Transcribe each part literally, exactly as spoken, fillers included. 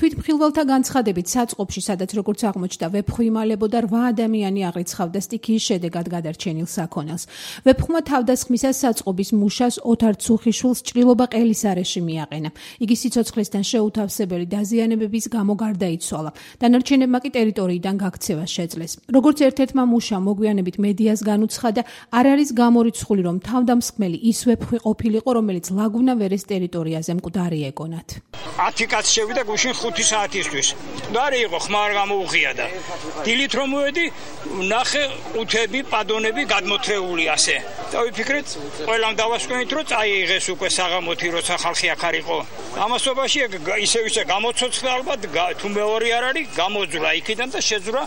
თვითმხილველთა განცხადებით საწყობში, სადაც როგორც აღმოჩნდა, ვეფხვი იმალებოდა რვა ადამიანი აღრიცხავდა სტიქიის შედეგად გადარჩენილ საქონელს. ვეფხვმა თავდასხმისას საწყობის მუშას ოთარ ცუხიშვილს ჭრილობა ყელის არეში მიაყენა. იგი სიცოცხლესთან შეუთავსებელი დაზიანებების გამო გარდაიცვალა. დანარჩენებმა კი ტერიტორიიდან გაქცევა შეძლეს. როგორც ერთ-ერთმა მუშამ მოგვიანებით მედიას განუცხადა, არ არის გამორიცხული, რომ თავდამსხმელი ის ვეფხვი ყოფილიყო, რომელიც ლაგუნა ვერეს ტერიტორიაზე მკვდარი ეგონათ. ათი კაცი შევიდა გუშინ ხუთი საათისთვის. მკვდარი იყო, ხმა არ გამოუღია და დილით რომ მოვედი, ნახე ყუთები, პადონები გადმოთრეული ასე. და ვიფიქრეთ, ყველამ დავასკვენით, რომ წაიღეს უკვე საღამოთი, როცა ხალხი აქ არ იყო. ამასობაში ისევ ისე გამოცოცხლა ალბათ, თუ მეორე არ არის, გამოძვრა იქიდან და შეძვრა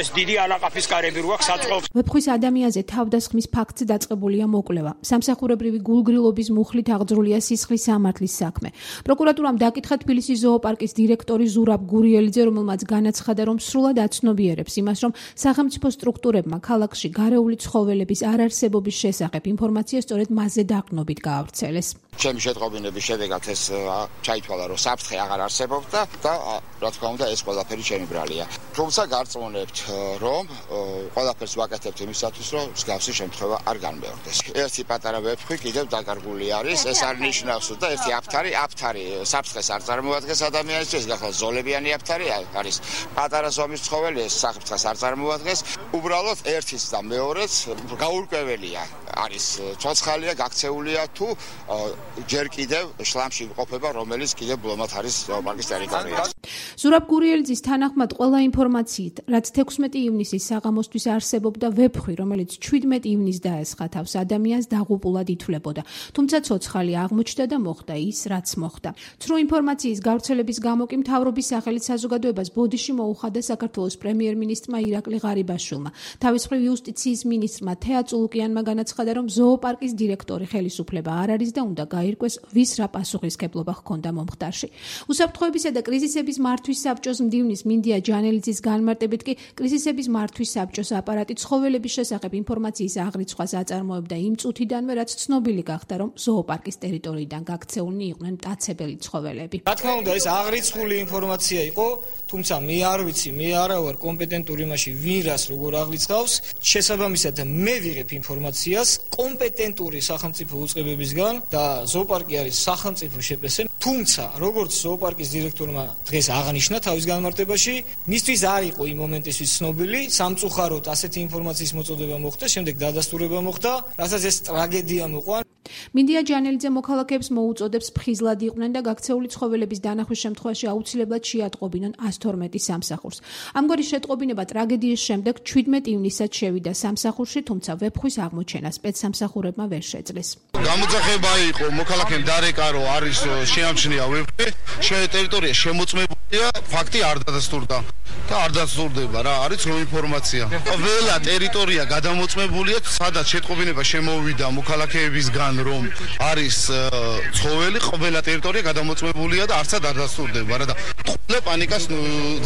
ეს დიდი ალაყაფის კარები რო აქვს საწყობს. ვეფხვის ადამიანზე თავდასხმის ფაქტზე დაწყებულია მოკვლევა. სამსახურებრივი გულგრილობის მუხლით აღძრულია სისხლის სამართლის საქმე. პროკურატურამ დაკითხა თბილისის ზოოპარკის დირექტორი ზურაბ გურიელიძე, რომელმაც განაცხადა, რომ სრულად აცნობიერებს იმას, რომ სახელმწიფო სტრუქტურებმა ქალაქში გარეული ცხოველების არარსებობის შესახებ ინფორმაცია სწორედ მასზე დაყრდნობით გაავრცელეს. ჩემი შეტყობინების შედეგად ეს ჩაითვალა, რომ საფრთხე აღარ არსებობდა და რა თქმა უნდა ეს ყველაფერი ჩემი ბრალია. თუმცა გარწმუნებთ, რომ ყველაფერს ვაკეთებთ იმისათვის, რომ მსგავსი შემთხვევა არ განმეორდეს. ერთი პატარა ვეფხვი კიდევ დაკარგული არის, ეს არ ნიშნავს და ერთი აფთარი, აფთარი საფრთხეს არ წარმოადგენს ადამიანისთვის, გახლა ზოლებიანი აფთარი არის. პატარა ზომის ცხოველი ეს საფრთხეს არ წარმოადგენს, უბრალოდ ერთის და მეორეც გაურკვეველია. არის ცოცხალია, გაქცეულია თუ ჯერ კიდევ შლამში იმყოფება, რომელიც კიდევ ბლომად არის ზოოპარკის ტერიტორიაზე. ზურაბ გურიელიძის თანახმად ყველა ინფორმაციით, რაც თექვსმეტი ივნისის საღამოსთვის არსებობდა ვეფხვი, რომელიც ჩვიდმეტი ივნისს დაესხა თავს ადამიანს, დაღუპულად ითვლებოდა. თუმცა ცოცხალი აღმოჩნდა და მოხდა ის, რაც მოხდა. ცრუ ინფორმაციის გავრცელების გამო კი მთავრობის სახელით საზოგადოებას ბოდიში მოუხადა საქართველოს პრემიერ-მინისტრმა ირაკლი ღარიბაშვილმა. თავის მხრივ იუსტიციის მინისტრმა თეა წულუკიანმა განაცხადა, რომ ზოოპარკის დირექტორი ხელისუფლება არ არის და უნდა გაირკვეს, ვის რა პასუხისმგებლობა ჰქონდა მომხდარში. უსაფრთხოებისა და კრიზისების მართვის საბჭოს მდივნის მინდია ჯანელიძის განმარტებით კი კრიზისების მართვის საბჭოს აპარატი ცხოველების შესახებ ინფორმაციის აღრიცხვას აწარმოებდა იმ წუთიდანვე, რაც ცნობილი გახდა, რომ ზოოპარკის ტერიტორიიდან გაქცეულნი იყვნენ მტაცებელი ცხოველები. რა თქმა უნდა, ეს აღრიცხული ინფორმაცია იყო, თუმცა მე არ ვიცი, მე არა ვარ კომპეტენტური იმაში, ვინ რას როგორ აღრიცხავს. შესაბამისად, მე ვიღებ ინფორმაციას კომპეტენტური სახელმწიფო უწყებებისგან და ზოოპარკი არის სახელმწიფო შეპესე. თუმცა, როგორც ზოოპარკის დირექტორმა დღეს აღნიშნა თავის განმარტებაში, მისთვის არ იყო იმ მომენტისთვის ცნობილი, სამწუხაროდ ასეთი ინფორმაციის მოწოდება მოხდა, შემდეგ დადასტურება მოხდა, რასაც ეს ტრაგედია მოყვა. მინდია ჯანელიძე მოქალაქეებს მოუწოდებს ფხიზლად იყვნენ და გაქცეული ცხოველების დანახვის შემთხვევაში აუცილებლად შეატყობინონ ას თორმეტი სამსახურს. ამგვარი შეტყობინება ტრაგედიის შემდეგ ჩვიდმეტი ივნისსაც შევიდა სამსახურში, თუმცა ვეფხვის აღმოჩენა სპეცსამსახურებმა ვერ შეძლეს. გამოძახება იყო მოქალაქემ დარეკა, რომ არის შეამჩნია ვეფხვი, შე ტერიტორია შემოწმებულია, ფაქტი არ დადასტურდა და არ დადასტურდება რა, არის რომ ინფორმაცია. ყველა ტერიტორია გადამოწმებულია, სადაც შეტყობინება შემოვიდა მოქალაქეებისგან, რომ არის ცხოველი, ყველა ტერიტორია გადამოწმებულია და არცად არ დასტურდება რა და ყველა პანიკას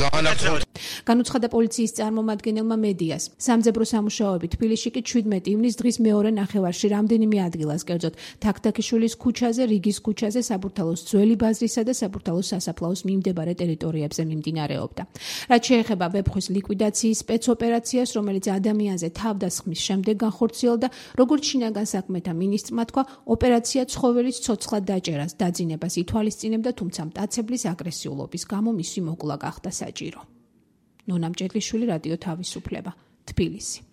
ძალიან არ ცხობს. განუცხადა პოლიციის წარმომადგენელმა მედიას. სამძებრო სამუშაოები თბილისში კი ჩვიდმეტი ივნისს დღის მეორე ნახევარში რამდენიმე ადგილას, კერძოდ თაქთაქიშვილის ქუჩაზე, რიგის ქუჩაზე, საბურთალოს ძველი ბაზრისა და საბურთალოს სასაფლაოს მიმდებარე ტერიტორიებზე მიმდინარეობდა. რაც შეეხება ვეფხვის ლიკვიდაციის სპეცოპერაციას, რომელიც ადამიანზე თავდასხმის შემდეგ განხორციელდა, როგორც შინაგან საქმეთა მინისტრმა თქვა, ოპერაცია ცხოველის ცოცხლად დაჭერას დაძინებას ითვალისწინებდა, თუმცა მტაცებლის აგრესიულობის გამო მისი მოკლა გახდა საჭირო. ნონა მჭედლიშვილი, რადიო თავისუფლება, თბილისი.